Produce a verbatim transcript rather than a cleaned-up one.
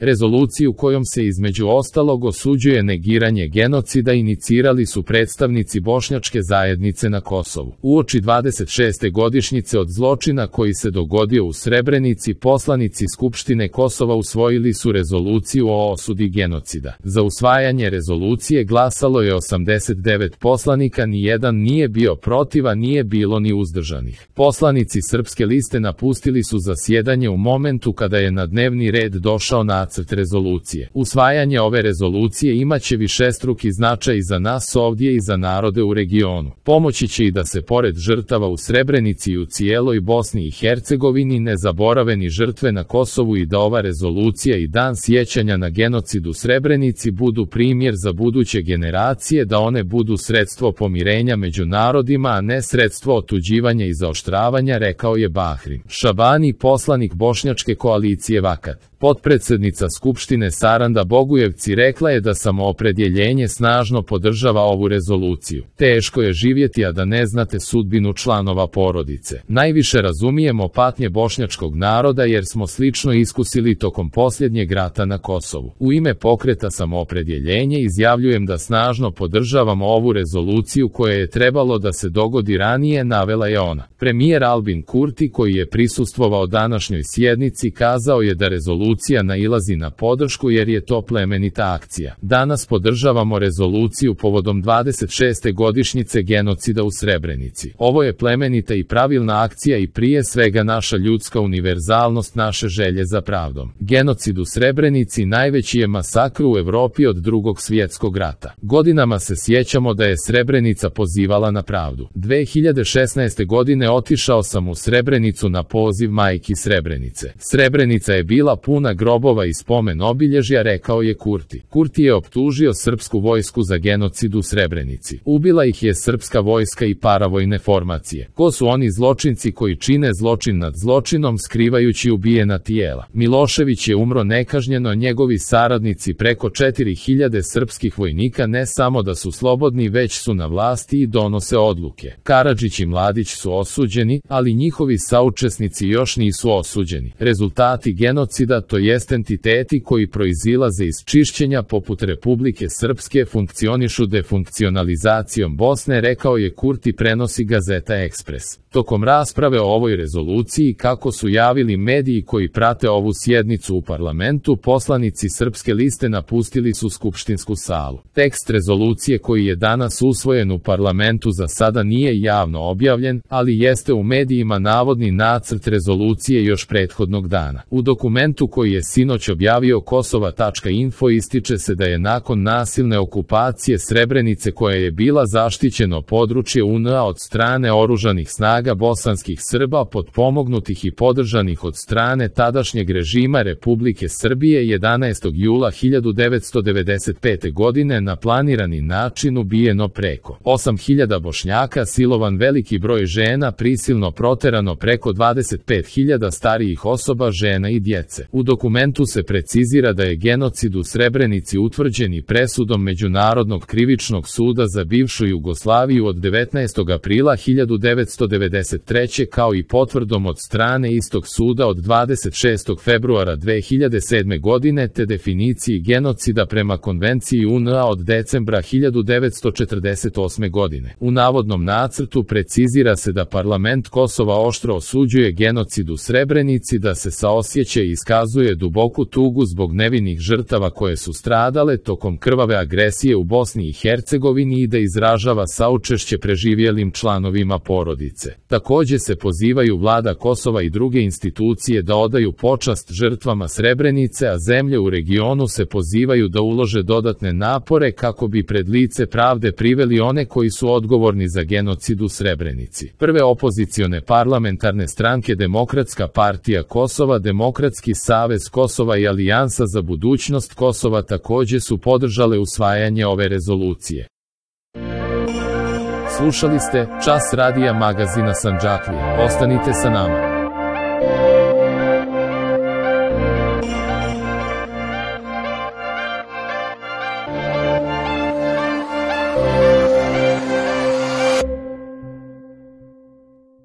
Rezoluciju kojom se između ostalog osuđuje negiranje genocida inicirali su predstavnici bošnjačke zajednice na Kosovu. Uoči dvadeset šeste godišnjice od zločina koji se dogodio u Srebrenici, poslanici Skupštine Kosova usvojili su rezoluciju o osudi genocida. Za usvajanje rezolucije glasalo je osamdeset devet poslanika, nijedan nije bio protiv, a nije bilo ni uzdržanih. Poslanici Srpske liste napustili su zasjedanje u momentu kada je na dnevni red došao nacrt rezolucije. Usvajanje ove rezolucije imaće višestruki značaj za nas ovdje i za narode u regionu. Pomoći će i da se pored žrtava u Srebrenici i u cijeloj Bosni i Hercegovini ne zaborave ni žrtve na Kosovu i da ova rezolucija i dan sjećanja na genocid u Srebrenici budu primjer za buduće generacije, da one budu sredstvo pomirenja među narodima, a ne sredstvo otuđivanja i zaoštravanja, rekao je Bahrim Šabani, poslanik bošnjačke koalicije Vakat. Potpredsjednica Skupštine Saranda Bogujevci rekla je da samoopredjeljenje snažno podržava ovu rezoluciju. Teško je živjeti a da ne znate sudbinu članova porodice. Najviše razumijemo patnje bošnjačkog naroda jer smo slično iskusili tokom posljednjeg rata na Kosovu. U ime pokreta Samoopredjeljenje izjavljujem da snažno podržavamo ovu rezoluciju koja je trebalo da se dogodi ranije, navela je ona. Premijer Albin Kurti, koji je prisustvovao današnjoj sjednici, kazao je da rezolucija Rezolucija nailazi na podršku jer je to plemenita akcija. Danas podržavamo rezoluciju povodom dvadeset šeste godišnjice genocida u Srebrenici. Ovo je plemenita i pravilna akcija i prije svega naša ljudska univerzalnost, naše želje za pravdom. Genocid u Srebrenici najveći je masakr u Evropi od Drugog svjetskog rata. Godinama se sjećamo da je Srebrenica pozivala na pravdu. dve hiljade šesnaeste. godine otišao sam u Srebrenicu na poziv majki Srebrenice. Srebrenica je bila puna grobova i spomen obilježja, rekao je Kurti. Kurti je optužio srpsku vojsku za genocid u Srebrenici. Ubila ih je srpska vojska i paravojne formacije. Ko su oni zločinci koji čine zločin nad zločinom skrivajući ubijena tijela? Milošević je umro nekažnjeno, njegovi saradnici, preko četiri hiljade srpskih vojnika, ne samo da su slobodni, već su na vlasti i donose odluke. Karadžić i Mladić su osuđeni, ali njihovi saučesnici još nisu osuđeni. Rezultati genocida, to jest entiteti koji proizilaze iz čišćenja poput Republike Srpske, funkcionišu defunkcionalizacijom Bosne, rekao je Kurti, prenosi gazeta Ekspres. Tokom rasprave o ovoj rezoluciji, kako su javili mediji koji prate ovu sjednicu u parlamentu, poslanici Srpske liste napustili su skupštinsku salu. Tekst rezolucije koji je danas usvojen u parlamentu za sada nije javno objavljen, ali jeste u medijima navodni nacrt rezolucije još prethodnog dana. U dokumentu koji je sinoć objavio Kosova tačka info ističe se da je nakon nasilne okupacije Srebrenice, koja je bila zaštićeno područje U N A od strane oružanih snaga bosanskih Srba, potpomognutih i podržanih od strane tadašnjeg režima Republike Srbije, jedanaestog jula hiljadu devetsto devedeset pete. godine na planirani način ubijeno preko osam hiljada Bošnjaka, silovan veliki broj žena, prisilno proterano preko dvadeset pet hiljada starijih osoba, žena i djece. U dokumentu se precizira da je genocid u Srebrenici utvrđen i presudom Međunarodnog krivičnog suda za bivšu Jugoslaviju od devetnaestog aprila hiljadu devetsto devedeset treće. kao i potvrdom od strane istog suda od dvadeset šestog februara dve hiljade sedme. godine, te definiciji genocida prema Konvenciji U N A od decembra hiljadu devetsto četrdeset osme. godine. U navodnom nacrtu precizira se da parlament Kosova oštro osuđuje genocid u Srebrenici, da se saosjeća i iskazuje duboku tugu zbog nevinih žrtava koje su stradale tokom krvave agresije u Bosni i Hercegovini i da izražava saučešće preživjelim članovima porodice. Također se pozivaju vlada Kosova i druge institucije da odaju počast žrtvama Srebrenice, a zemlje u regionu se pozivaju da ulože dodatne napore kako bi pred lice pravde priveli one koji su odgovorni za genocid u Srebrenici. Prve opozicione parlamentarne stranke Demokratska partija Kosova, Demokratski savez Kosova i Alijansa za budućnost Kosova također su podržale usvajanje ove rezolucije. Slušali ste Čas radija magazina Sandžaklija. Ostanite sa nama.